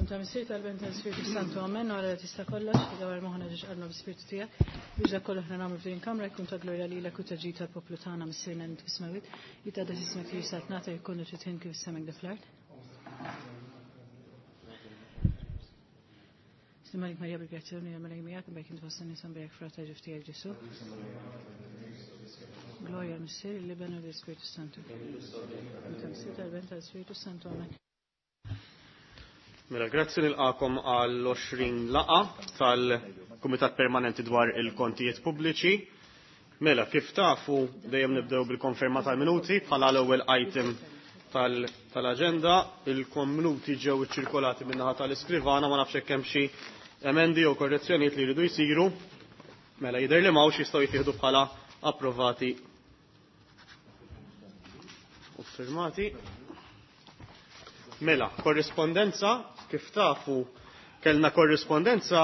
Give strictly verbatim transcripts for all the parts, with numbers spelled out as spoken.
Ta' Missier tal-Ben tal-Spiritu Santu, amen, għara tista' kollox, dawar moħna ġiex qalbna bl-Spiritu tiegħek, biex dak kollu aħna nagħmlu f'din kamra jkun ta' glorja lilek u ta' ġid tal-poplu tagħna Missierna li fis-smewwiet, jitqaddas ismek li saltnata jkun titħin kif is-semek fl-art. Slimalik Marija bil-grazzjoni jagħmel miegħek bejk int fost in-nisa mbejk frata ġif tiegħek Ġesu. Glorja l-Missier, l-Iben u l-Ispiritu Santu. Ta' Missier tal-Ben tal-Spiritu Santu, amen. Mela, grazzi nilqakom għal għoxrin laqa tal-Kumitat Permanenti dwar il-Kontijiet Pubbliċi. Mela, kif tafu, dejjem nibdew bil-konferma tal-minuti bħala l-ewwel item tal-aġenda. Il-minuti ġew iċċirkolati min-naħa tal-iskrivana, ma nafx hekk hemm xi emendi jew korrezzjonijiet li jridu jsiru. Mela, jidher li m'hawnx jistgħu jittieħdu bħala approvati u firmati. Mela, korrispondenza, kif tafu, kellna korrispondenza,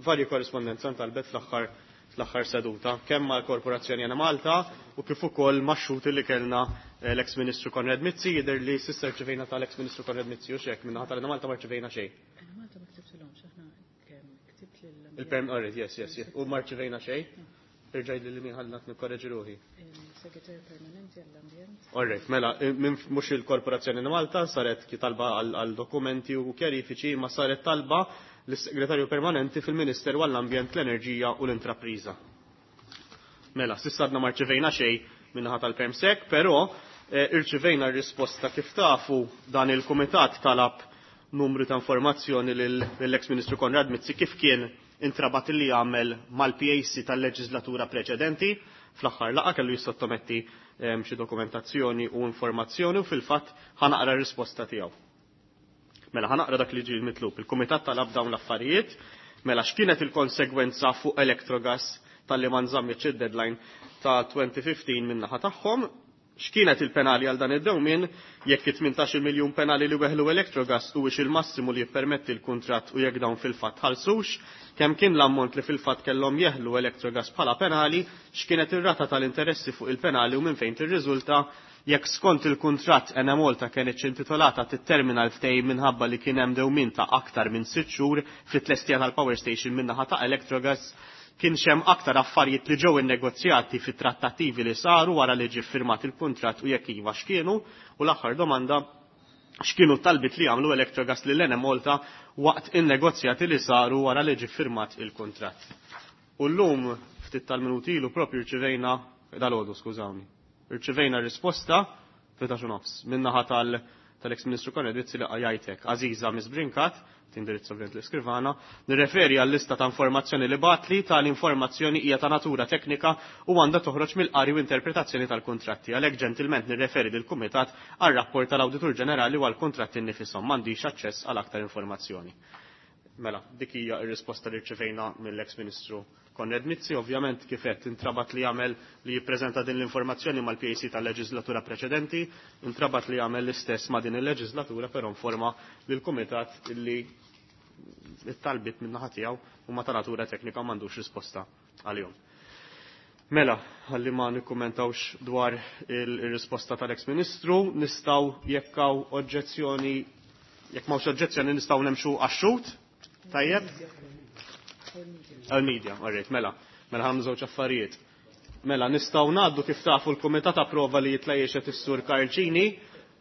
varji korrispondenza ntalbet fl-aħħar fl-aħħar seduta, kemm mal-Korporazzjoni Enemalta u kif ukoll max-xhud li kellna l-ex Ministru Konrad Mizzi, jidher li s'issa rċevejna tal-ex Ministru Konrad Mizzi u x'hekk minnaħa tal-Enemalta ma rċevejna xejn. Enemalta ma ktibtilhomx, aħna kemm ktibt lil Il-perm, alright, yes, yes, yes. U ma rċevejna xejn. Irġaj li min ħalli nikkorreġi ruħi. Il-Segretarju Permanenti għall-Ambjent. Alright, mela, minn mhux il-Korporazzjoni Malta saret ki talba għal dokumenti u kjarifiċi, ma saret talba lis-Segretarju Permanenti fil-Ministeru għall-Ambjent, l-Enerġija u l-Intrapriża. Mela, s'issa għadna ma rċevejna xejn minnaħa tal-Permsec, però irċevejna r-risposta kif tafu dan il-Kumitat talab numru ta' informazzjoni lill-ex Ministru Konrad Mizzi kif kien intrabat li jagħmel mal-P A C tal-leġislatura preċedenti. Fl-aħħar laqa kellu jissottometti xi dokumentazzjoni u informazzjoni u fil-fatt ħanaqra r-risposta tiegħu. Mela ħanaqra dak li ġie mitlub. Il-Kumitat talab dawn l-affarijiet, mela x'kienet il-konsegwenza fuq Electrogas tal-li ma nżammitx id-deadline ta' twenty fifteen min-naħa tagħhom, x'kienet il-penali għal dan id-dewmien, jekk it-tmintax-il miljun penali li weħlu Electrogas huwiex il-massimu li jippermetti l-kuntratt u jekk dawn fil-fatt ħalsux, kemm kien l-ammont li fil-fatt kellhom jeħlu Electrogas bħala penali, x'kienet ir-rata tal-interessi fuq il-penali u minn fejn tirriżulta, jekk skont il-kuntratt Enemalta kienet intitolata tittermina l-ftehim minħabba li kien hemm dewmien ta' aktar minn sitt xhur fit-tlestija tal-power station min-naħa ta' Electrogas, kien xem aktar affarijiet li ġew innegozjati fit-trattattivi li saru wara li ġie ffirmat il-kuntratt u jekk iva x'kienu, u l-aħħar domanda x'kienu t-talbiet li għamlu Electrogas lil Enemalta waqt in-negozjati li saru wara li ġie ffirmat il-kuntratt. U llum ftit tal-minuti ilu propju rċivejna, dal-għodu, skużawni, rċivejna risposta fil-tlettax u nofs min-naħa tal-, tal-ex Ministru Konrad Mizzi li qajajtek Aziza Miss Brincat, tindirizza ovvjament l-iskrivana, nirreferi għall-lista ta' informazzjoni li batli, tal-informazzjoni hija ta' natura teknika u għandha toħroġ mill-qari u interpretazzjoni tal-kuntratti. Għalhekk ġentilment nirreferi lill-Kumitat għar-rapport tal-Awditur Ġenerali u għall-kuntratti nnifisom, m'għandix aċċess għal aktar informazzjoni. Mela, dik hija r-risposta li rċevejna mill-ex Ministru Konrad Mizzi. Ovvjament kif qed intrabat li jagħmel li jippreżenta din l-informazzjoni mal-P A C tal-leġislatura preċedenti, intrabat li jagħmel l-istess ma' din il-leġislatura, però informa lill-Kumitat li it-talbiet min-naħa tiegħu huma ta' natura teknika u m'għandux risposta għalihom. Mela, ħalli ma nikkummentawx dwar il-risposta tal-ex Ministru, nistgħu jekk hawn oġġezzjoni, jekk m'hawnx oġġezzjoni nistgħu nemxu għax-xhud. Tajjeb? Għal-media, alright, mela, mela ħam żewġ affarijiet. Mela, nistgħu ngħaddu kif tafu l-Kumitat approva li jitlajjex is-Sur Karl Cini,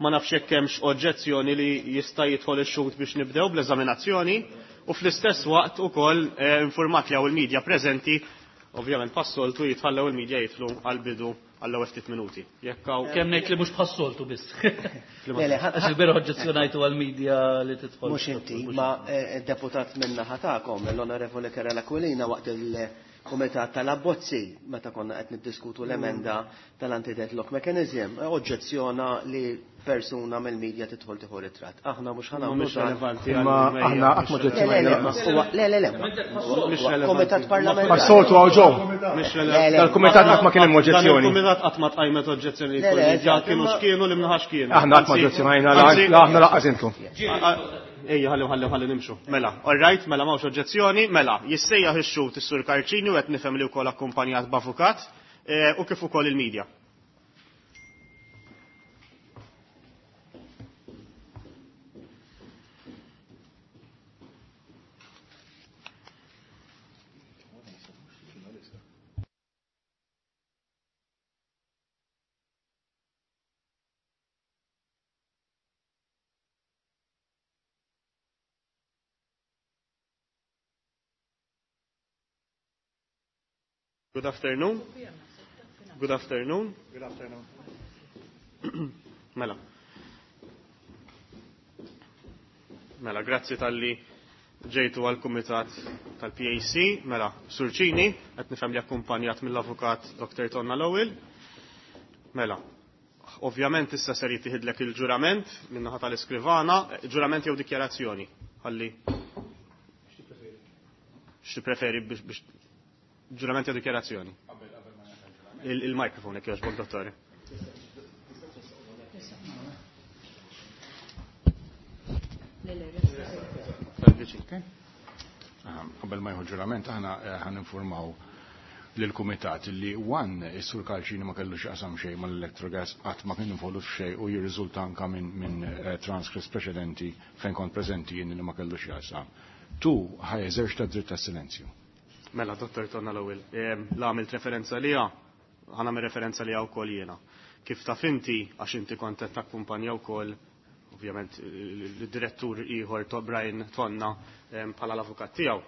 ma nafx jekk hemmx oġġezzjoni li jista' jidħol ix-xhud biex nibdew bl-eżaminazzjoni, u fl-istess waqt ukoll, eh, informat li hawn il-media preżenti, ovvjament passoltu jitħallew il-media jidħlu għall-bidu għall-ewwel ftit minuti. Jekk hawn Kemm ngħid li mhux bħas-soltu biss. Le, le, Għax il-bieraħ oġġezzjonajtu għall-media li tidħol. Mhux inti, ma, eh, deputat minna ħatakom, l-Onorevoli Karol Aquilina waqt il-Kumitat tal-Abbozzi, meta konna qed niddiskutu l-emenda tal-anti-deadlock mechanism, oġġezzjona li persuna mill-media tidħol tieħu ritratt. Aħna mhux ħa nagħmlu Mhux dan. relevanti Imma għal aħna media, qatt ma mhux oġġezzjonajna. Le, le, le, Mhux huwa, le, le, le. Mhux relevanti. Kumitat parlamentari. Bħas-soltu għaw ġew. Mhux Le, le. relevanti. Dal-kumitat qatt ma kien hemm Dan oġġezzjoni. il-kumitat qatt ma tqajmet oġġezzjoni Le, le, jkun eżatt, kienu imma x'kienu li mnaħax kienu. Aħna qatt ma Anzi, oġġezzjonajna, la anzi, aħna laqqas intu. Ejja, ħalli, ħalli, ħalli nimxu. Mela, all right, mela m'hawnx oġġezzjoni, mela, jissejjaħ ix-xhud is-Sur Karl Cini u qed nifhem li wkoll akkumpanjat b'avukat, eh, u kif ukoll il-medja. Good afternoon. Good afternoon. Good afternoon. Mela. Mela, grazzi tal-li ġejtu għal-Kumitat tal-P A C. Mela, Surċini, qed nifhem li akkumpanjat mill-Avukat Doktor Tonna Lowell. Mela, ovvjament issa ser jittieħidlek il-ġurament min-naħa tal-iskrivana, ġurament jew dikjarazzjoni. Ħalli. X'ti preferi biex, biex ġurament jew dikjarazzjoni? Il-mikrofon jekk jogħġbok, dottore. Qabel ma jieħu ġurament aħna ħan informaw lill-kumitat li one is-Sur Karl Cini ma kellux qasam xejn mal-Electrogas, qatt ma kien involut f'xejn u jirriżulta anka minn, minn, eh, transcripts preċedenti fejn kont preżenti jien li ma kellux jaqsam. Tu ħaj eżerċita dritt tas-silenzju. Mela, Dottor Tonna Lowell, eh, la għamilt referenza liha, ħa nagħmel referenza liha wkoll jiena. Kif taf inti, għax inti kont qed takkumpanja wkoll ovvjament il-direttur ieħor to Brian Tonna, em, bħala l-avukat tiegħu.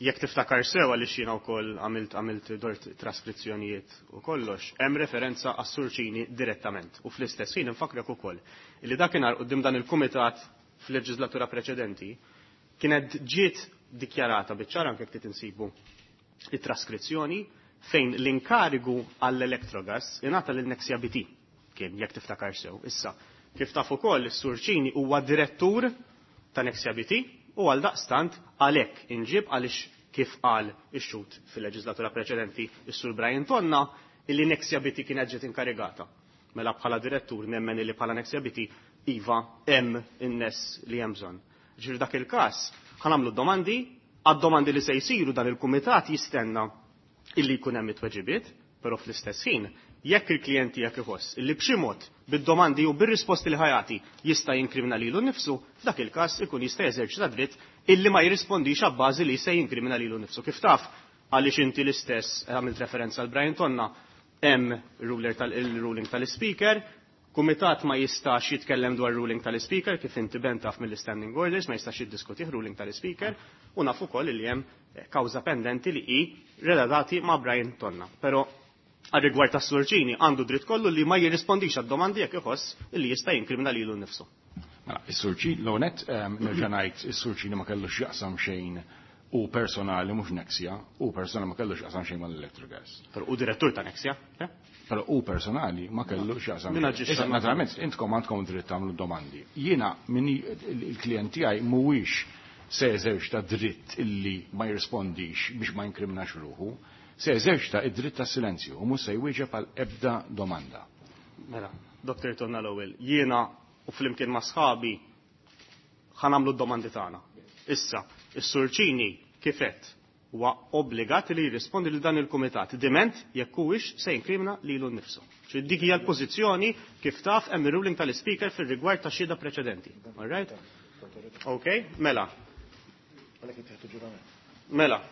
Jekk tiftakar sew għaliex jiena wkoll għamilt, għamilt dort traskrizzjonijiet u kollox, hemm referenza għas-Surċini direttament. U fl-istess ħin infakrek ukoll li dakinhar quddiem dan il-kumitat fil-leġislatura preċedenti kienet ġiet dikjarata biċ-ċar anke jekk insibu it-traskrizzjoni fejn l-inkarigu għall-Electrogas ingħata lil Nexia B T kien jekk tiftakar sew. Issa, kif taf ukoll is-Surċini huwa direttur ta' Nexia B T u għal daqstant għalhekk inġib għaliex kif qal ix-xhud fil-leġislatura preċedenti is-Sur Brian Tonna illi Nexia B T kienet ġiet inkarigata. Mela bħala direttur nemmen illi bħala Nexia B T iva hemm in-nies li hemm bżonn. Ġifieri dak il-każ ħanamlu domandi, għad-domandi li se jsiru dan il-kumitat jistenna illi jkun hemm it-tweġibiet, però fl-istess ħin jekk il-klijent tiegħek iħoss illi b'xi mod bid-domandi u bir-risposti li ħajati jista' jinkrimina lilu nnifsu, f'dak il-każ ikun jista' jeżerċita dritt illi ma jirrispondix abbażi li se jinkrimina lilu nnifsu. Kif taf, għaliex inti l-istess għamilt referenza għal Brian Tonna, hemm ruler tal-, il-ruling tal-speaker, kumitat ma jistax jitkellem dwar ruling tal-speaker, kif inti ben taf mill-standing orders, ma jistax jiddiskutih ruling tal-speaker, u naf ukoll li hemm kawża pendenti li hi relatati ma' Brian Tonna. Però għal rigward tas-Surċini għandu dritt kollu li ma jirrispondix għad-domandi jekk iħoss li jista' jinkrimina lilu nnifsu. Mela, is-Surċini, l-onet, ehm, nerġa' ngħid, is-Surċini ma kellux jaqsam xejn u personali mhux Nexia, u personali ma kellux jaqsam xejn mal-Electrogas. Però u direttur ta' Nexia, eh? Però u personali ma kellux jaqsam Min xejn. aġixxa Issa, ma' naturalment, intkom għandkom dritt tagħmlu domandi. Jiena min il-klient tiegħi mhuwiex se jeżerċita dritt illi ma jirrispondix biex ma jinkriminax ruħu, se jeżerċita id-dritt tas-silenzju u mhux se jwieġeb għal ebda domanda. Mela, Doktor Tonna Lowell, jiena u flimkien ma' sħabi ħanamlu d-domandi tagħna. Issa, is-Surċini kifet huwa obbligat li jirrispondi lil dan il-kumitat diment jekk huwiex se jinkrimina lilu nnifsu. Ġifieri dik hija l-pożizzjoni kif taf hemm ir-ruling tal-ispeaker fir-rigward ta' xhieda preċedenti. All right? Okay, mela. Mela.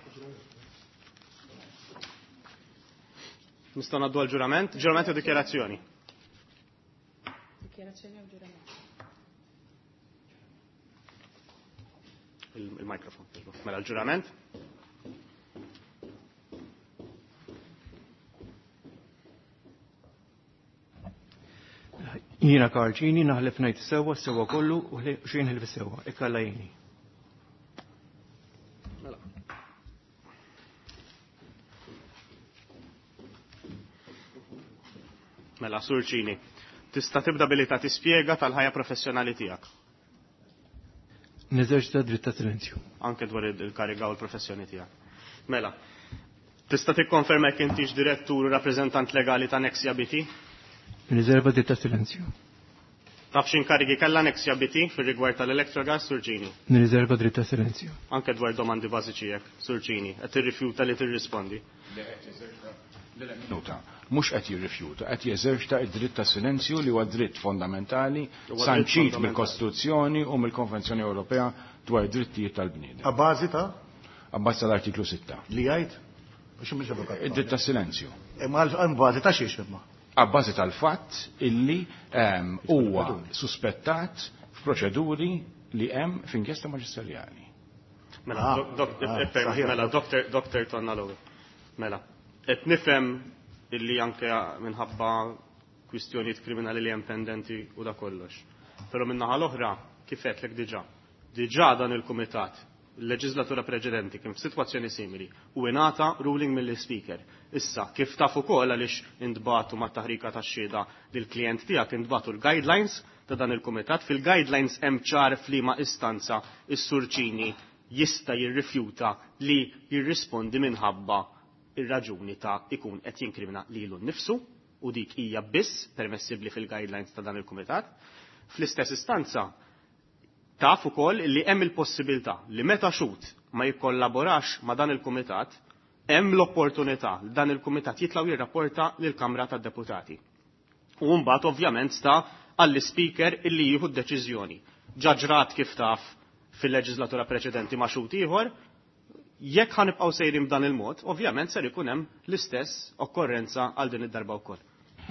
Nistgħu ngħaddu għall-ġurament, ġurament u dikjarazzjoni. Dikjarazzjoni u ġurament. Il-, il-mikrofon. Mela l-ġurament. Jiena Karl Cini naħlef ngħid sewwa sewwa kollu u xejn ħlef sewwa, ikkalla jieni. Mela. Mela, Surċini, tista' tibda billi ta' tispjega tal-ħajja professjonali tiegħek. Neżerċita dritt ta' silenzju. Anke dwar il-kariga u l-professjoni tiegħek. Mela, tista' tikkonferma jekk intix direttur u rappreżentant legali ta' Nexia B T? Nirriserva dritt ta' silenzju. Taf x'inkarigi kellha Nexia B T fir-rigward tal-Electrogas, Surċini? Nirriserva dritt ta' silenzju. Anke dwar domandi bażiċi hekk, Surċini, qed tirrifjuta li tirrispondi. Minuta. Mhux qed jirrifjuta, qed jeżerċita d-dritt ta' silenzju li huwa dritt fondamentali Huwa dritt sanċit fondamentali. mill-Kostituzzjoni u mill-Konvenzjoni Ewropea dwar id-drittijiet tal-bniedem. A bażi ta' A bażi tal-artiklu sitta. Li jgħid? Biex mhux avukat. Id-dritt ta' silenzju. Imma għal bażi ta' xiex imma? A bażi tal-fatt illi, ehm, huwa suspettat f'proċeduri li hemm f'inkjesta maġisterjali. Mela, Ah, dok-, dok-, ah, eh, saħħa. mela, doktor, doktor Tonna Lowell. Mela, qed nifhem illi anke minħabba kwistjonijiet kriminali li hemm pendenti u da kollox. Però min-naħa l-oħra, kif għedtlek diġà, diġà dan il-kumitat, il-leġislatura preċedenti kien f'sitwazzjoni simili u ingħata ruling mill-Speaker. Issa, kif taf ukoll għaliex intbagħtu mat-taħrika tax-xhieda lill-klijent tiegħek intbagħtu l-guidelines ta' dan il-kumitat. Fil-guidelines hemm ċar f'liema istanza is-Sur Cini jista' jirrifjuta li jirrispondi minħabba ir-raġuni ta' ikun qed jinkrimina lilu nnifsu, u dik hija biss permessibbli fil-guidelines ta' dan il-kumitat. Fl-istess istanza taf ukoll li hemm il-possibilità li meta xhud ma jikkollaborax ma' dan il-kumitat, hemm l-opportunità li dan il-kumitat jitlaw jirrapporta lill-Kamra tad-Deputati. U mbagħad ovvjament sta għall-Speaker illi jieħu d-deċiżjoni. Ġa ġrat kif taf fil-leġislatura preċedenti ma' xhud ieħor, jekk ħanibqgħu sejrin b'dan il-mod, ovvjament ser ikun hemm l-istess okkorrenza għal din id-darba wkoll.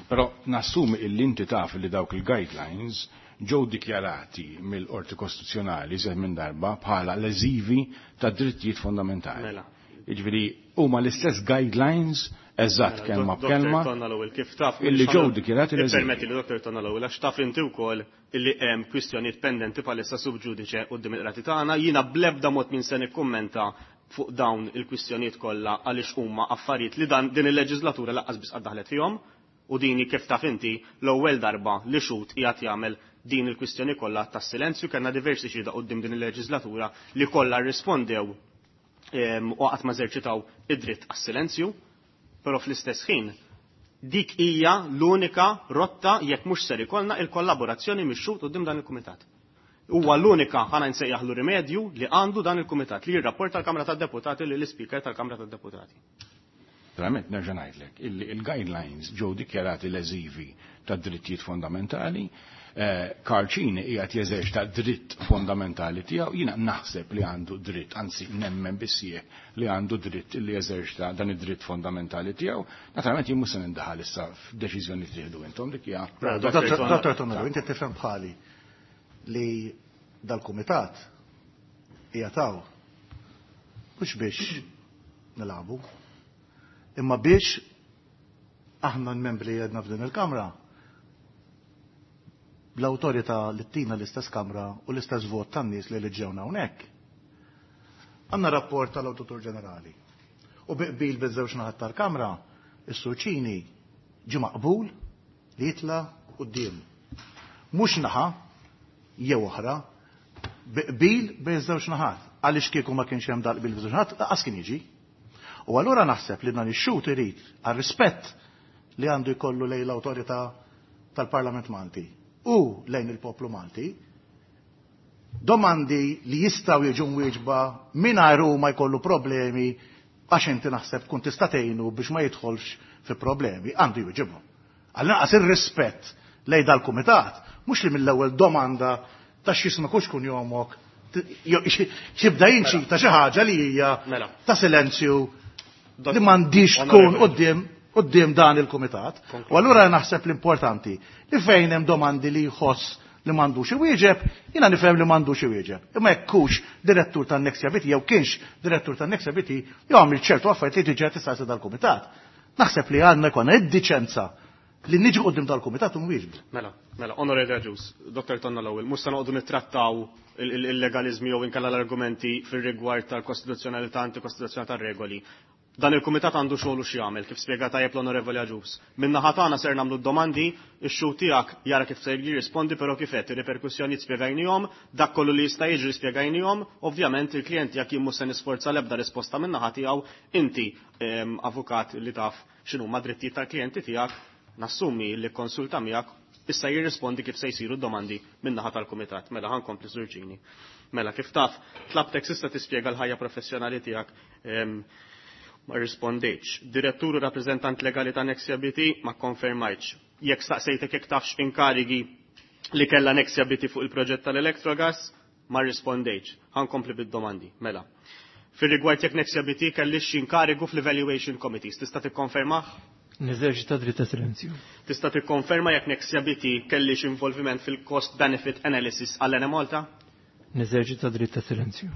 Però nassumi illi inti taf li dawk il-guidelines ġew dikjarati mill-Qorti Kostituzzjonali iżjed minn darba bħala leżivi ta' drittijiet fondamentali. Mela. Jiġifieri huma l-istess guidelines eżatt Mela, kelma Dok- b'kelma Dottor Tonna Lowell, kif taf illi ġew dikjarati leżivi. Permetti li Dottor Tonna Lowell, għax taf inti wkoll illi hemm kwistjonijiet pendenti bħalissa sub judice quddiem il-qrati tagħna, jiena bl-ebda mod min se nikkummenta fuq dawn il-kwistjonijiet kollha għaliex huma affarijiet li dan din il-leġislatura lanqas biss qatt daħlet fihom, u dini kif taf inti l-ewwel darba li xhud qiegħed jagħmel din il-kwistjoni kollha tas-silenzju. Kellna diversi xhieda quddiem din il-leġislatura li kollha rrispondew, em, u qatt ma eżerċitaw id-dritt għas-silenzju, però fl-istess ħin dik hija l-unika rotta jekk mhux ser ikollna il-kollaborazzjoni mix-xhud quddiem dan il-kumitat. Huwa l-unika ħana nsejjaħlu rimedju li għandu dan il-kumitat li jirrapporta l-Kamra tad-Deputati lil Speaker tal-Kamra tad-Deputati. Verament nerġa' ngħidlek illi il-guidelines ġew dikjarati leżivi ta' drittijiet fondamentali. Eh, Karl Cini qiegħed jeżerċita dritt fondamentali tiegħu, jiena naħseb li għandu dritt, anzi nemmen bissieħ li għandu dritt li jeżerċita dan id-dritt fondamentali tiegħu. Naturalment jien mhux se nindaħal issa f'deċiżjoni li tieħdu intom dik hija. Mela, Dottor Dottor Dottor Tonello, inti tifhem bħali li dal-kumitat qiegħed mhux biex nilagħbu, imma biex aħna l-membri li għedna f'din il-Kamra l-awtorità li tina l-istess Kamra u l-istess vot tan-nies li liġġewna hawnhekk. Għandna rapport tal-Awditur Ġenerali. U bi qbil biż-żewġ naħat tal-Kamra, is-Sur Cini ġie maqbul li jitla' quddiem. Mhux naħa jew oħra, bi qbil bejn żewġ naħat. Għaliex kieku ma kienx hemm dal-qbil bejn żewġ naħat, lanqas kien jiġi. U allura naħseb li dan ix-xhud irid għar-rispett li għandu jkollu lejn l-awtorità tal-Parlament Malti u lejn il-poplu Malti, domandi li jistgħu jiġu mwieġba mingħajr ma jkollu problemi, għax inti naħseb tkun tista' tgħinu biex ma jidħolx fi problemi, għandu jwieġibhom. Għall-inqas ir-rispett lejn dal-kumitat, mhux li mill-ewwel domanda ta' x'jismek u x'kun jomok, xibda jinċita xi ħaġa li hija Mela. ta' silenzju li m'għandix tkun quddiem quddiem dan il-kumitat. U allura naħseb l-importanti li fejn hemm domandi li jħoss li m'għandux iwieġeb, jiena nifhem li m'għandux iwieġeb. Imma jekk hux direttur tan-Nexia B T jew kienx direttur tan-Nexia B T, jew għamil ċertu affarijiet li diġà tista' jsir dal-kumitat. Naħseb li għandna jkollna id-diċenza li niġu quddiem dal-kumitat u nwieġbu. Mela, mela, Onorevoli Agius, Dottor Tonna Lowell, mhux se noqogħdu nittrattaw il-legalizmi jew inkella l-argumenti fir-rigward tal-kostituzzjonalità, antikostituzzjonalità tar-regoli. Dan il-kumitat għandu xogħol u x'jagħmel, kif spjega tajjeb l-Onorevoli Agius. Min-naħa tagħna ser nagħmlu d-domandi, ix-xhud tiegħek jara kif se jirrispondi, però kif qed ir-riperkussjonijiet spjegajnihom, dak kollu li jista' jiġri spjegajnihom, ovvjament il-klijent tiegħek jien mhux se nisforza l-ebda risposta min-naħa tiegħu, inti, ehm, avukat li taf x'inhuma drittijiet tal-klijenti tiegħek, nassumi li konsulta miegħek issa jirrispondi kif se jsiru d-domandi min-naħa tal-kumitat. Mela ħankompli Sur Cini. Mela kif taf, tlabtek s'issa tispjega l-ħajja professjonali tiegħek, ehm, ma rispondejtx. Direttur u rappreżentant legali ta' Nexia B T ma konfermajtx. Jekk staqsejtek jekk tafx inkarigi li kellha Nexia B T fuq il-proġett tal-Electrogas, ma rispondejtx. Ħankompli bid-domandi. Mela. Fir-rigward jekk Nexia B T kellix inkarigu fl-Evaluation Committees, tista' tikkonfermah? Neżerċita dritt ta' silenzju. Tista' tikkonferma jekk Nexia B T kellix involviment fil-cost benefit analysis għall Enemalta? Neżerċita dritt ta' silenzju.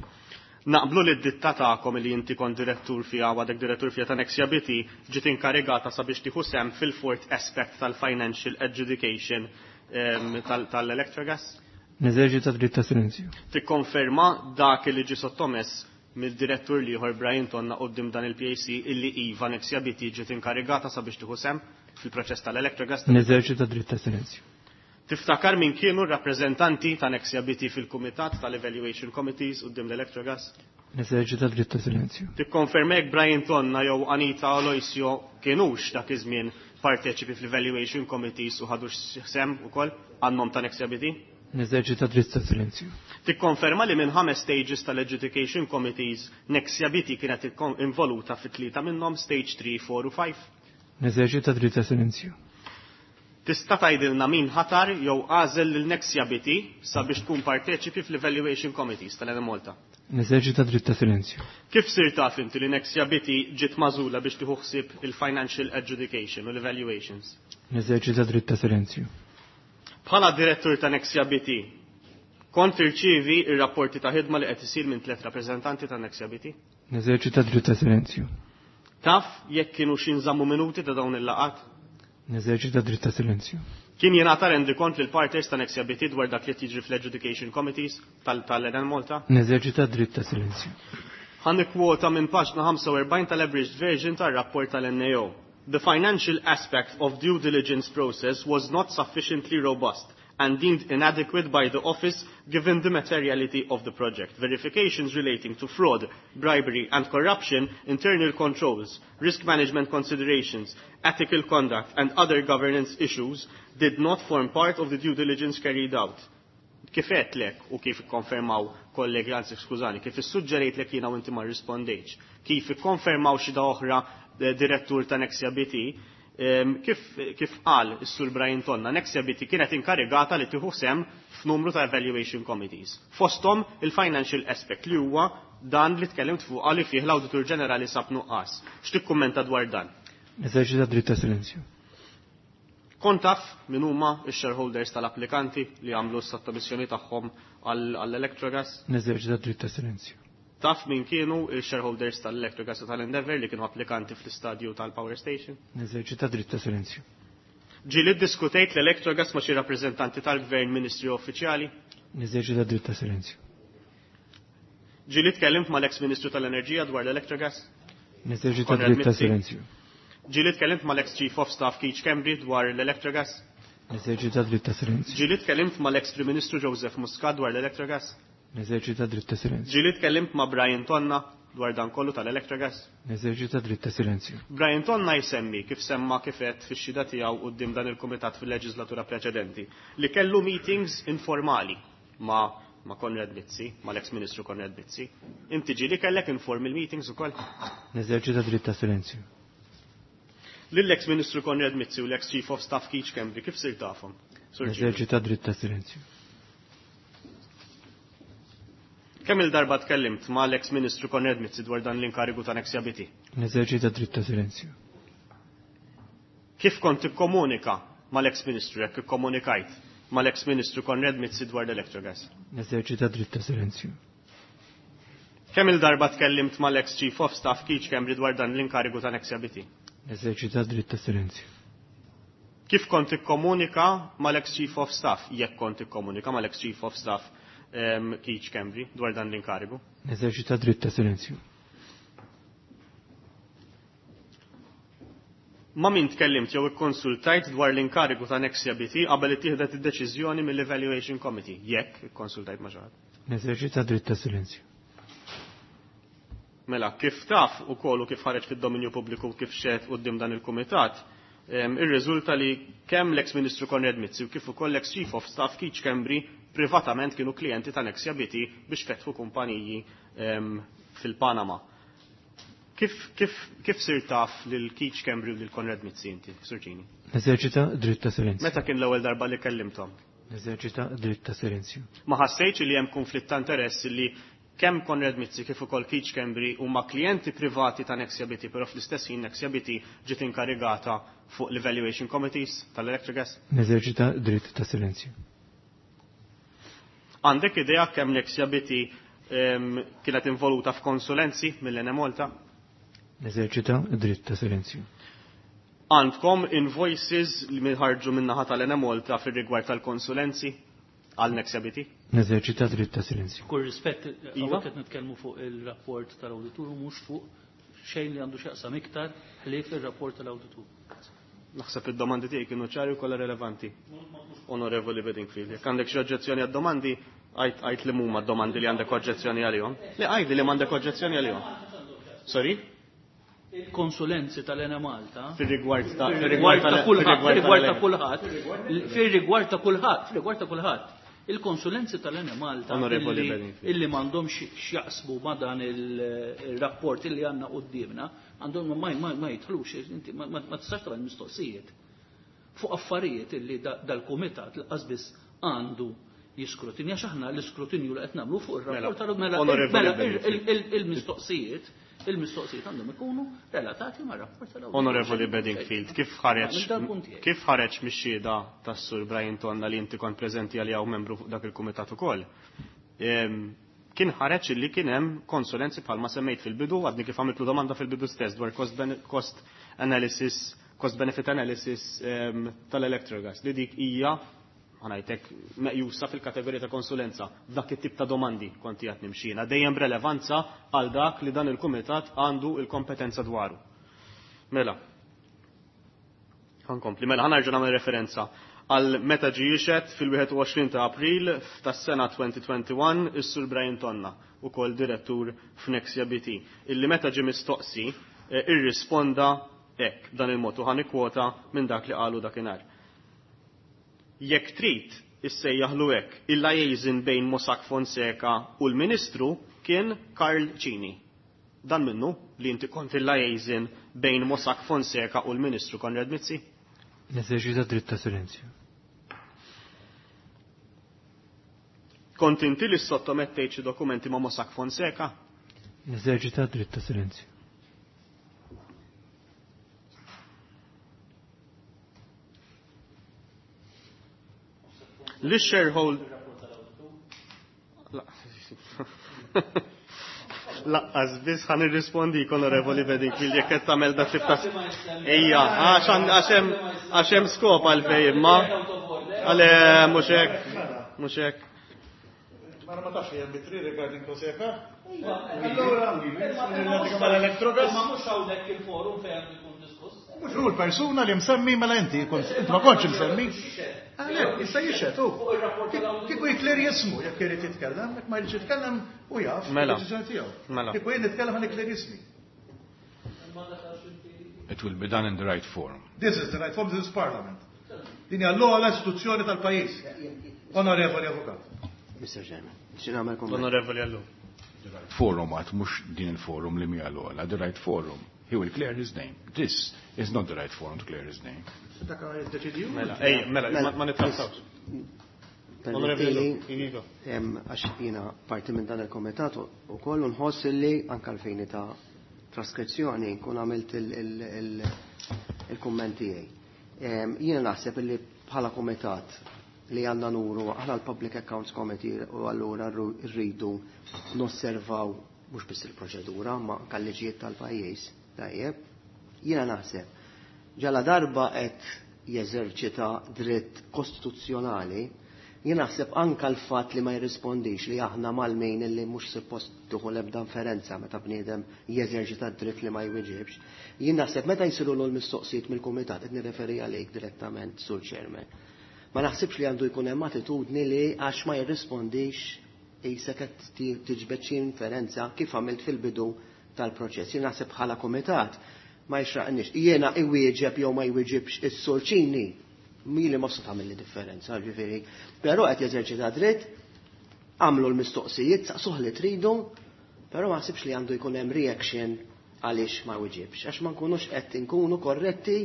Naqblu li d-ditta tagħkom li inti kont direttur fiha u għadek direttur fiha ta' Nexia B T ġiet inkarigata sabiex tieħu sehem fil-fourth aspect tal-financial adjudication tal-Electrogas? Neżerċita dritt ta' silenzju. Tikkonferma dak li ġi sottomess mill-direttur l-ieħor Brian Tonna quddiem dan il-P A C illi iva, Nexia B T ġiet inkarigata sabiex tieħu sehem fil-proċess tal-Electrogas? Neżerċita dritt ta' silenzju. Tiftakar min kienu rappreżentanti ta' Nexia B T fil-kumitat tal-Evaluation Committees quddiem l-Electrogas? Neżerċita dritt ta' silenzju. Tikkonferma jekk Brian Tonna jew Anita Aloisio kienux dak iż-żmien parteċipi fl-Evaluation Committees u ħadux sehem ukoll għan-nom ta' Nexia B T? Neżerċita dritt ta' silenzju. Tikkonferma li minn ħames stages tal-Adjudication Committees Nexia B T kienet involuta fit tlieta minnhom, stage three, four u five? Neżerċita dritt ta' silenzju. Tista' tgħidilna min ħatar jew għażel lil Nexia B T sabiex tkun parteċipi fl-Evaluation Committees tal-Enemalta? Neżerċita dritt ta' silenzju. Kif sir taf inti li Nexia B T ġiet magħżula biex tieħu ħsieb il-financial adjudication u l-evaluations? Neżerċita dritt ta' silenzju. Bħala direttur ta' Nexia B T, kont tirċievi ir-rapporti ta' ħidma li qed isir minn tliet rappreżentanti ta' Nexia B T? Neżerċita dritt ta' silenzju. Taf jekk kienu xi nżammu minuti ta' dawn il-laqgħat? Neżerċita dritt ta' silenzju. Kien jingħata rendikont lil partners ta' Nexia B T dwar dak li jiġri fl-Adjudication Committees tal-Enemalta? Neżerċita dritt ta' silenzju. Ħa nikkwota minn paġna ħamsa u erbgħin tal-abridged version tar-rapport tal-N A O. "The financial aspect of due diligence process was not sufficiently robust and deemed inadequate by the office given the materiality of the project. Verifications relating to fraud, bribery and corruption, internal controls, risk management considerations, ethical conduct and other governance issues did not form part of the due diligence carried out." Kif lek u kif ikkonfermaw kollegi, anzi skużani, kif issuġġerejt lek jiena u inti ma rispondejtx, kif ikkonfermaw xi oħra eh, direttur ta' Nexia B T, kif, kif qal is-Sur Brian Tonna, Nexia B T kienet inkarigata li tieħu sehem f'numru ta' evaluation committees. Fosthom il-financial aspect li huwa dan li tkellimt fuq li fih l-Awditur Ġenerali sab nuqqas. X'tikkummenta dwar dan? Neżerċita dritt ta' silenzju. Kont taf min huma x-shareholders tal-applikanti li għamlu s-sottomissjoni tagħhom għall-Electrogas? Neżerċita dritt ta' silenzju. Taf min kienu il-shareholders tal-Electrogas u tal-Endeavour li kienu applikanti fl-istadju tal-Power Station? Neżerċita dritt ta' silenzju. Ġieli diskutejt l-Electrogas ma' xi rappreżentanti tal-gvern, ministri, uffiċjali? Neżerċita dritt ta' silenzju. Ġieli tkellimt mal-ex Ministru tal-Enerġija dwar l-Electrogas? Neżerċita dritt ta' silenzju. Ġieli tkellimt mal-ex Chief of Staff Keith Schembri dwar l-Electrogas? Neżerċita dritt ta' silenzju. Ġieli tkellimt mal-ex Prim Ministru Joseph Muscat dwar l-Electrogas? Neżerċita dritt ta' silenzju. Ġieli tkellimt ma' Brian Tonna dwar dan kollu tal-Electrogas? Neżerċita dritt ta' silenzju. Brian Tonna jsemmi kif semma kifet fix-xhieda tiegħu quddiem dan il-kumitat fil-leġislatura preċedenti li kellu meetings informali ma' ma' Konrad Mizzi, ma' l-ex Ministru Konrad Mizzi. Inti ġieli kellek informal meetings ukoll? Neżerċita dritt ta' silenzju. Lill-ex Ministru Konrad Mizzi u l-ex Chief of Staff Keith Schembri kif sir tafhom? Neżerċita dritt ta' silenzju. Kemm il-darba tkellimt ma' l-ex Ministru Konrad Mizzi dwar dan l-inkarigu ta' Nexia B T? Neżerċita dritt ta' silenzju. Kif kont tikkomunika mal-ex Ministru, jekk ikkomunikajt mal-ex Ministru Konrad Mizzi dwar l-Electrogas? Neżerċita dritt ta' silenzju. Kemm il-darba tkellimt mal-ex Chief of Staff Keith Schembri dwar dan l-inkarigu ta' Nexia B T? Neżerċita dritt ta' silenzju. Kif kont tikkomunika mal-ex Chief of Staff, jekk kont tikkomunika mal-ex Chief of Staff um, Keith Schembri dwar dan l-inkarigu? Neżerċita dritt ta' silenzju. Ma' min tkellimt jew ikkonsultajt dwar l-inkarigu ta' Nexia B T qabel ittieħdet id-deċiżjoni mill-Evaluation Committee, jekk ikkonsultajt ma' xi ħadd? Neżerċita dritt ta' silenzju. Mela, kif taf ukoll u kif ħareġ fid-dominju pubbliku, kif xehed quddiem dan il-kumitat, irriżulta li kemm l-ex Ministru Konrad Mizzi u kif ukoll l-ex Chief of Staff Keith Schembri privatament kienu klijenti ta' Nexia B T biex fetħu kumpaniji fil-Panama. Kif, kif, kif sir taf lil Keith Schembri u lil Konrad Mizzi inti, Sur Cini? Neżerċita dritt ta' silenzju. Meta kien l-ewwel darba li kellimthom? Neżerċita dritt ta' silenzju. Ma ħassejtx li hemm konflitt ta' interess li kemm Konrad Mizzi kif ukoll Keith Schembri huma klijenti privati ta' Nexia B T, però fl-istess ħin Nexia B T ġiet inkarigata fuq l-evaluation committees tal-Electrogas? Neżerċita dritt ta' silenzju. Għandek idea kemm Nexia B T kienet involuta f'konsulenzi mill-Enemalta? Neżerċita d-dritt ta' silenzju. Għandkom invoices li minħarġu min-naħa tal-Enemalta fir-rigward tal-konsulenzi għal Nexia B T? Neżerċita dritt ta' silenzju. Kull rispett, Iva. hawnhekk qed nitkellmu fuq il-rapport tal-awditur u mhux fuq xejn li għandu x'jaqsam iktar ħlief ir-rapport tal-awditur. Naħseb id-domandi tiegħi kienu ċari u kollha relevanti. Onorevoli Bedingfield, jekk għandek xi oġġezzjoni għad-domandi, għajt li huma d-domandi li għandek oġġezzjoni għalihom. Le għajdi li m'għandek oġġezzjoni għalihom. Sorry? Il-konsulenzi tal-Enemalta fir-rigward ta' fir-rigward ta' kulħadd, fir-rigward ta' tal- kulħadd, fir-rigward ta' kulħadd, fir-rigward ta' kulħadd. Il-konsulenzi tal-Enemalta Onorevoli illi Bedingfield. illi m'għandhomx x'jaqsmu ma' dan il-rapport illi għandna quddiemna, għandhom ma, ma, ma jidħlux, inti ma, ma, ma tistax tagħmel mistoqsijiet fuq affarijiet illi da-, dal-kumitat l-qas biss għandu jiskrutinja, għax aħna l-iskrutinju li qed nagħmlu fuq ir-rapport Mela, tal-mela, Onorevoli mela, Bedingfield. il-, il-, il-mistoqsijiet, il-mistoqsijiet għandhom ikunu relatati ma' rapport tal-awditur. Onorevoli Bedingfield, kif ħareġ Minn dal-punt tiegħi. kif ħareġ mix-xhieda tas-Sur Brian Tonna li inti kont preżenti għalija u membru fuq dak il-kumitat ukoll? Ehm, kien ħareġ illi kien hemm konsulenzi bħalma semmejt fil-bidu, għadni kif għamiltlu domanda fil-bidu stess dwar cost bene-, cost analysis, cost benefit analysis, ehm, tal-Electrogas, li dik hija ħanajtek meqjusa fil-kategorija ta' konsulenza. Dak it-tip ta' domandi kont qiegħed nimxina, dejjem b'relevanza għal dak li dan il-kumitat għandu il-kompetenza dwaru. Mela, ħankompli, mela ħanarġa' nagħmel referenza għal meta ġie jixhed fil-wieħed u għoxrin ta' April tas-sena twenty twenty-one is-Sur Brian Tonna, ukoll direttur f'Nexia B T, illi meta ġie mistoqsi, eh, irrisponda hekk b'dan il-mod u ħanikwota minn dak li qalu dakinhar. Jekk trid issejjaħlu hekk, il-liaison bejn Mossack Fonseca u l-Ministru kien Karl Cini. Dan minnu li inti kont il-liaison bejn Mossack Fonseca u l-Ministru Konrad Mizzi? Neżerċita dritt ta' silenzju. Kont inti li sottomettejt xi dokumenti ma' Mossack Fonseca? Neżerċita dritt ta' silenzju. Li shareholder Laqqas biss ħan irrispondi Onorevoli Bedingfield jekk qed tagħmel dak tip ta' Ejja, għax għan-, għax hemm, għax hemm skop għalfejn imma. Għale mhux hekk, mhux hekk. Ma ma tafx hemm bitri regarding Fonseca? Allura, mal-Electrogas. Ma mhux hawnhekk il-forum fejn għandu jkun diskuss. Mhux hu l-persuna li msemmi mela inti, kont inti ma kontx msemmi. Għalek, issa jixhed hu. Kieku jikler jismu, jekk irid jitkellem, jekk ma jridx jitkellem u jaf, Mela. id-deċiżjoni tiegħu. Mela. Kieku jien nitkellem għal ikler jismi. It will be done in the right form. This is the right form, this is Parliament. Din hija l-ogħla istituzzjoni tal-pajjiż. Onorevoli Avukat. Mister Chairman, xi nagħmel kumment? Onorevoli Allu. The right forum għad mhux din il-forum li mija l-ogħla, the right forum. He will clear his name. This is not the right forum to clear his name. Dak jiddeċidi hu. Mela, ej, mela, ma, ma nittrattawx. Onorevoli Permettili, Allu, Iva. em, għax jiena parti minn dan il-komitat u kollu nħoss li anke l-fini ta' traskrizzjoni nkun għamilt il-, il-, il-, il-kumment tiegħi. Em, jiena naħseb li bħala komitat li għandna nuru aħna l-Public Accounts Committee u allura rru-, rridu nosservaw mhux biss il-proċedura ma anke l-liġijiet tal-pajjiż. Tajjeb, jiena naħseb ġala darba qed jeżerċita dritt kostituzzjonali, jien naħseb anke l-fatt li ma jirrispondix li aħna mal-mejn li mhux suppost tieħu l-ebda inferenza meta bniedem jeżerċita dritt li ma jwieġibx. Jien naħseb meta jsiru l-mistoqsijiet mill-kumitat qed nirreferi għalik direttament sur Chairman. Ma naħsibx li għandu jkun hemm attitudni li għax ma jirrispondix qisek qed ti-, tiġbed xi inferenza kif għamilt fil-bidu tal-proċess. Jien naħseb bħala kumitat ma jxraqnix. Jiena iwieġeb jew ma jwieġibx is-Sur Cini, mili ma se tagħmel li differenza, ġifieri. Però qed jeżerċita dritt, għamlu l-mistoqsijiet, saqsuh li tridu, però ma naħsibx li għandu jkun hemm reaction għaliex ma jwieġibx, għax ma nkunux qed inkunu korretti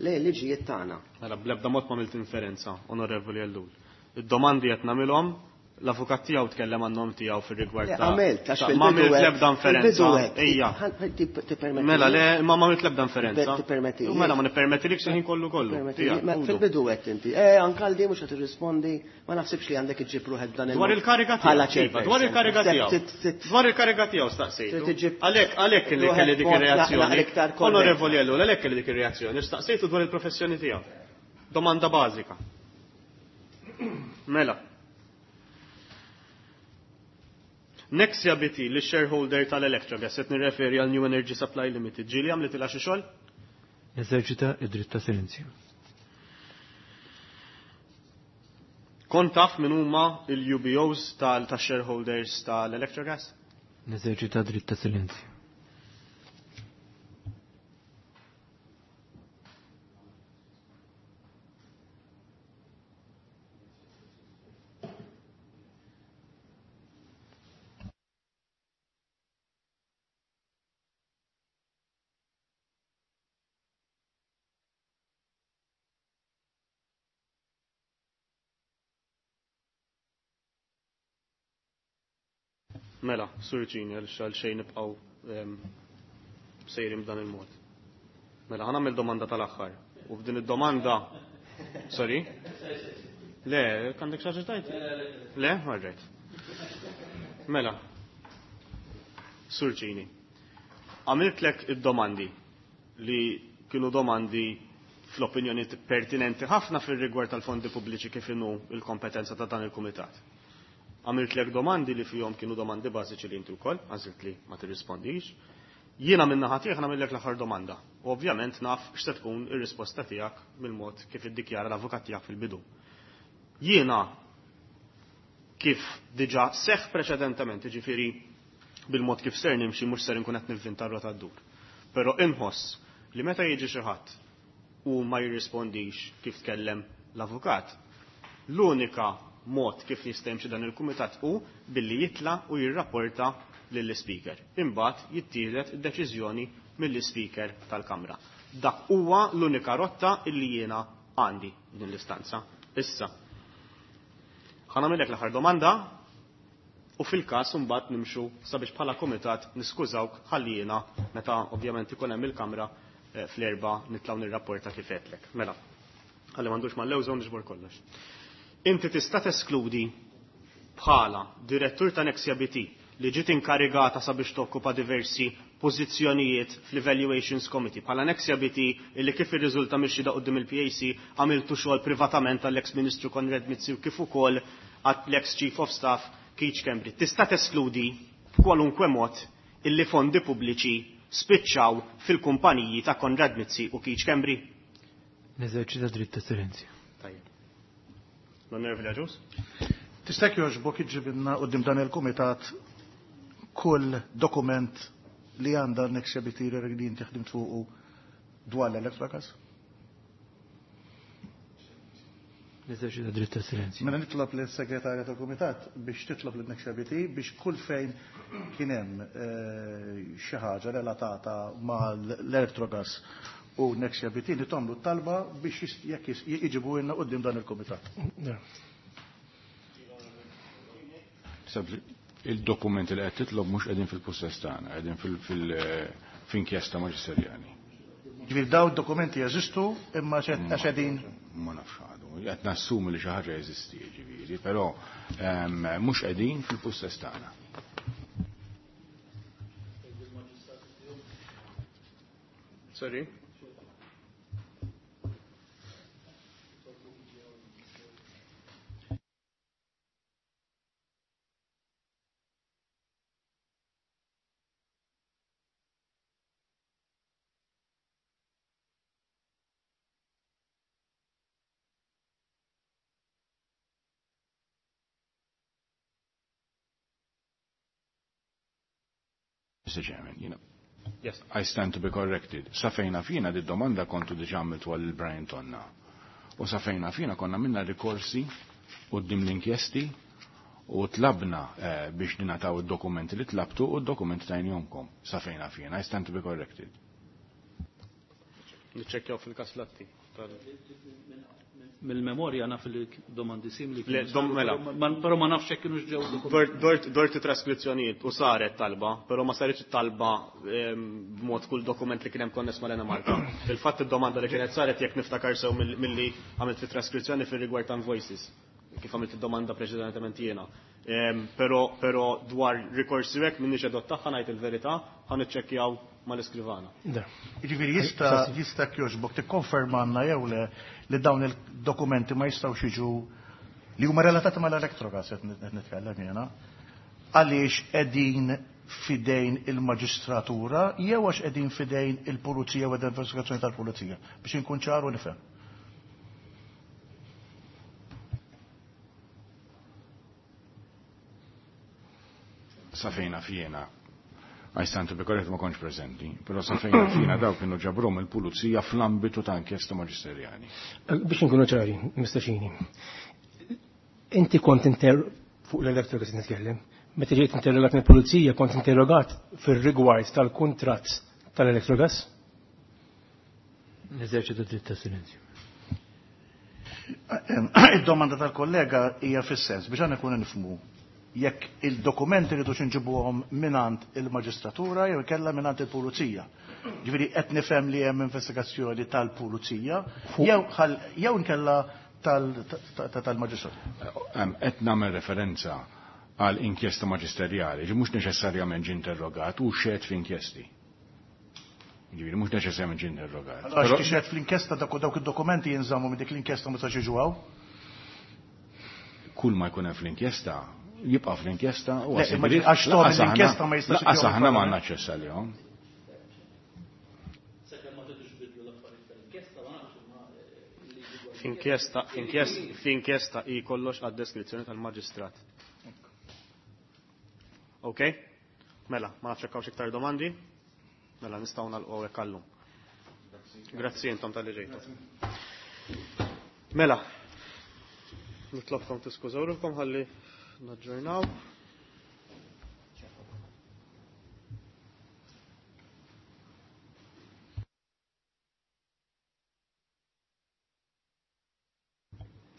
lejn liġijiet tagħna. Mela bl-ebda mod ma għamilt inferenza, Onorevoli Ellul. Id-domandi qed nagħmilhom L-avukat tiegħu tkellem għan-nom tiegħu fir-rigward ta' Għamilt, għax ma għamilt l-ebda inferenza. Ejja. Mela le, ma għamilt l-ebda inferenza. Tippermetti. Mela ma nippermettilekx il-ħin kollu kollu. Fil-bidu għedt inti. Eh, anke mhux qed tirrispondi, ma naħsibx li għandek iġġib ruħek b'dan il Dwar il-kariga tiegħu. Dwar il-kariga tiegħu. Dwar il-kariga tiegħu staqsejtu. Għalhekk għalhekk li kelli dik ir-reazzjoni. Onorevoli Ellul, għalhekk kelli dik ir-reazzjoni. Staqsejtu dwar il-professjoni tiegħu. Domanda bażika. Mela. Nexia B T, li shareholder tal-Electrogas, qed nirreferi għal New Energy Supply Limited, ġieli għamlet ilha xi xogħol? Eżerċita id-dritt ta' silenzju. Kont taf min huma il-U B Os tal-shareholders tal-Electrogas? Neżerċita dritt ta' silenzju. Mela, Sur Cini, għal xejn nibqgħu sejrin b'dan il-mod. Mela, ħa nagħmel domanda tal-aħħar. U f'din id-domanda, sorry? Le, għandek xi ħaġa tgħid? Le, all right. Mela, Sur Cini, għamiltlek id-domandi li kienu domandi fl-opinjoni pertinenti ħafna fir-rigward tal-fondi pubbliċi kif inhu il-kompetenza ta' dan il-kumitat. Għamiltlek domandi li fihom kienu domandi bażiċi li inti wkoll, għażilt li ma tirrispondix. Jiena minn naħa tiegħek nagħmellek l-aħħar domanda. U ovvjament naf x'se tkun ir-risposta tiegħek mill-mod kif iddikjara l-avukat tiegħek fil-bidu. Jiena kif diġà seħħ preċedentement, jiġifieri bil-mod kif ser nimxi mhux ser inkun qed nivvinta r-rota ddur. Però inħoss li meta jiġi xi ħadd u ma jirrispondix kif tkellem l-avukat, l-unika mod kif jista' jimxi dan il-kumitat hu billi jitla' u jirrapporta lill-ispeaker. Imbagħad jittieħdet id-deċiżjoni mill-ispeaker tal-Kamra. Dak huwa l-unika rotta illi jiena għandi din l-istanza. Issa, ħa nagħmellek l-aħħar domanda u fil-każ imbagħad nimxu sabiex bħala kumitat niskużawk ħalli jiena meta ovvjament ikun hemm il-Kamra fl-erba' nitlgħu nirrapporta kif għedtlek. Mela, ħalli m'għandux mal-lewża u niġbor kollox. Inti tista' teskludi bħala direttur ta' Nexia B T li ġiet inkarigata sabiex tokkupa diversi pożizzjonijiet fl-Evaluations Committee. Bħala Nexia B T illi kif irriżulta mixi da quddiem il-P A C għamiltu xogħol privatament għall-ex Ministru Konrad Mizzi u kif ukoll għall-ex Chief of Staff Keith Schembri. Tista' teskludi b'kwalunkwe mod illi fondi pubbliċi spiċċaw fil-kumpaniji ta' Konrad Mizzi u Keith Schembri? Neżerċita dritt ta' silenzju. Tajjeb. L-Onorevoli Agius? Tista' jogħġbok iġġibilna quddiem dan il-kumitat kull dokument li għandha Nexia B T li inti ħdimt fuqu dwar l-Electrogas? Neżerċita dritt ta' silenzju. Mela nitlob lis-segretarja tal-kumitat biex titlob lil Nexia B T biex kull fejn kien hemm xi ħaġa relatata mal-Electrogas u Nexia B T li tagħmlu t-talba biex jekk jiġibu lna quddiem dan il-kumitat. Il-dokumenti li qed titlob mhux qegħdin fil-pussess tagħna, qegħdin fil-inkjesta maġisterjali. Ġifieri daw id-dokumenti jeżistu imma x'qegħdin? Ma nafx għadu. Qed nassumi li xi ħaġa jeżisti, ġifieri, però mhux qegħdin fil-pussess tagħna. Sorry. Mister Chairman, you know, Yes. I stand to be corrected. Sa fejna fina di domanda kontu diġa għamiltu għal Brian Tonna. U sa fejna fina konna minna rikorsi quddiem l-inkjesti u tlabna eh, biex ninataw id-dokumenti li tlabtu u d-dokumenti tajnihomkom. Sa fejna fina, I stand to be corrected. Niċċekkjaw fil-każ Latti. Mill-memorja naf li domandi simili. Mela. Però ma nafx hekk kienux ġew. Dort traskrizzjonijiet u saret talba, però ma saritx talba b'mod kull dokument li kien hemm konness mal-Enemalta. Fil-fatt id-domanda li kienet saret jekk niftakar sew milli għamilt fit-traskrizzjoni fir-rigward ta' invoices, kif għamilt id-domanda preċedentement jiena. Però però dwar rikorsi hekk minniex edot tagħha ngħid il-verità, ħa niċċekkjaw mal-iskrivana. Jiġifieri jista' jista' jogħġbok tikkonfermanna jew le li dawn il-dokumenti ma jistgħux jiġu li huma relatati mal-Electrogas qed nitkellem jiena, għaliex qegħdin fidejn il-maġistratura jew għax qegħdin fidejn il-pulizija u l-investigazzjoni tal-pulizija, biex inkun ċar u nifhem. Sa fejna fjena, I stand to be correct, ma kontx preżenti, però sa fejna fjena daw kienu ġabrom il-pulizija fl-ambitu ta' inkjesta maġisterjali. Biex nkunu ċari, Mister Cini, inti kont inter fuq l-Electrogas nitkellem, meta ġejt interrogat mill-pulizija kont interrogat fir-rigward tal-kuntratt tal-Electrogas? Neżerċitu dritt ta' silenzju. Id-domanda tal-kollega hija fis-sens biex għandna nkunu nifhmu jekk il-dokumenti li tux nġibuhom minant il-maġistratura jew ikella minant il-pulizija. Ġifieri qed nifhem li hemm investigazzjoni tal-pulizija jew jew inkella tal-maġistratura. Qed nagħmel referenza għal inkjesta maġisterjali, ġi mhux neċessarjament ġie interrogat u xed f'inkjesti. Ġifieri mhux neċessarjament ġie interrogat. Għax tixhed fl-inkjesta dawk id-dokumenti jinżammu minn dik l-inkjesta ma tistax jiġu hawn? Kull ma jkun hemm fl-inkjesta jibqa' fl-inkjesta u għax l-inkjesta ma jistax. Lanqas aħna ma għandna aċċess għalihom. F'inkjesta, f'inkjesta hi kollox għad-deskrizzjoni tal-maġistrat. Ok? Mela, ma nafx hekk hawnx iktar domandi? Mela nistgħu nagħlqu hekk għallum. Grazzi intom tal-li ġejtu. Mela, nitlobkom tiskużaw ruħkom ħalli naġġornaw.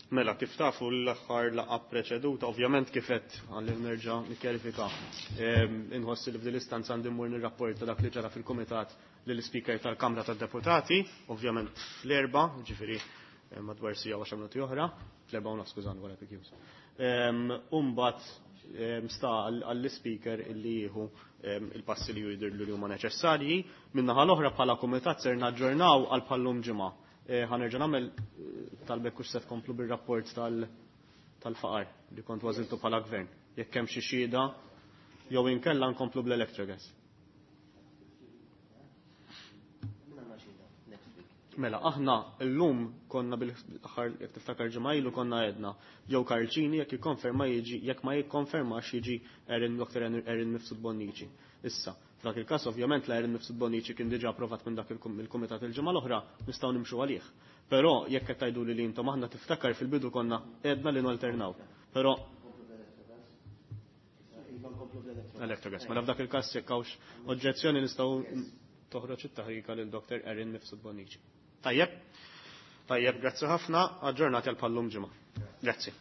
Mela, kif tafu l-aħħar laqgħa preċeduta, ovvjament kif qed għalli nerġa' nikkjarifika. Inħoss li f'din l-istanza għandi mmur nirrapporta dak li ġara fil-kumitat lill-Ispeaker tal-Kamra tad-Deputati, ovvjament fl-erba', ġifieri madwar sija u għaxar minuti oħra, fl-erba' u nofs skużani wara P Qs. Umbagħad sta għall-speaker illi jieħu il-passi li jidhirlu li huma neċessarji. Min-naħa l-oħra bħala kumitat ser naġġornaw għal bħallum ġimgħa. Ħanerġa' nagħmel talbek hux se tkomplu bir-rapport tal-faqar li kont ważiltu bħala gvern. Jekk hemm xi xhieda jew inkella nkomplu bl-Electrogas. Mela, aħna llum konna bil-aħħar jekk tiftakar ġimgħa ilu konna għedna jew Karl Cini jekk jikkonferma jiġi, jekk ma jikkonfermax jiġi Erin Doctor Erin Mifsud Bonnici. Issa, f'dak il-każ ovvjament la Erin Mifsud Bonnici kien diġà approvat minn dak il-kumitat il-ġimgħa l-oħra, nistgħu nimxu għalih. Però jekk qed tgħidu li intom aħna tiftakar fil-bidu konna għedna li nalternaw. Però Electrogas. Mela f'dak il-każ jekk hawnx oġġezzjoni nistgħu toħroġ it-taħrika lil Doctor Erin Mifsud Bonnici. Tajjeb, tajjeb, grazzi ħafna, aġġornati għal pallum ġimgħa. Grazzi.